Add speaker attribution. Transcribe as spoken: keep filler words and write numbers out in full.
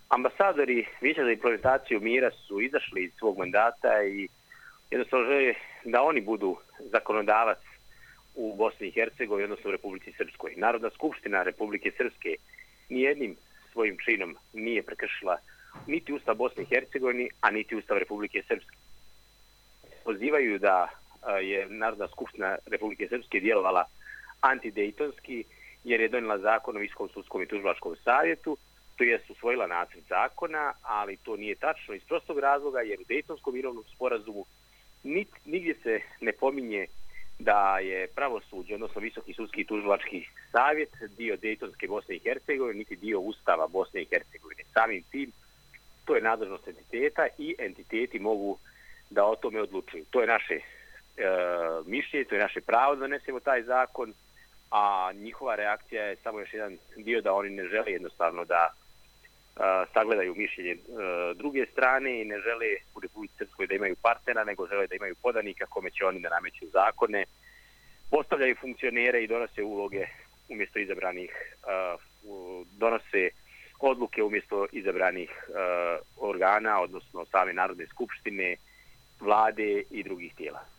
Speaker 1: Ambasadori Vijeća za implementaciju mira su izašli iz svog mandata i jednostavno žele da oni budu zakonodavac u Bosni i Hercegovini, odnosno u Republici Srpskoj. Narodna skupština Republike Srpske nijednim svojim činom nije prekršila niti Ustav Bosne i Hercegovine, a niti Ustav Republike Srpske. Pozivaju da je Narodna skupština Republike Srpske djelovala antidejtonski, jer je donijela zakon o Visokom sudskom i tužilačkom savjetu, to jest usvojila nacrt zakona, ali to nije tačno iz prostog razloga, jer u Dejtonskom mirovnom sporazumu nigdje se ne pominje da je pravosuđe, odnosno Visoki sudski i tužilački savjet, dio Dejtonske Bosne i Hercegovine, niti dio Ustava Bosne i Hercegovine. Samim tim, to je nadležnost entiteta i entiteti mogu da o tome odlučuju. To je naše e, mišljenje, to je naše pravo da donesemo taj zakon, a njihova reakcija je samo još jedan dio da oni ne žele jednostavno da a, sagledaju mišljenje a, druge strane i ne žele u Republici Srpskoj da imaju partnera, nego žele da imaju podanika kome će oni da nameću zakone, postavljaju funkcionere i donose uloge umjesto izabranih, a, donose odluke umjesto izabranih a, organa, odnosno same Narodne skupštine, vlade i drugih tijela.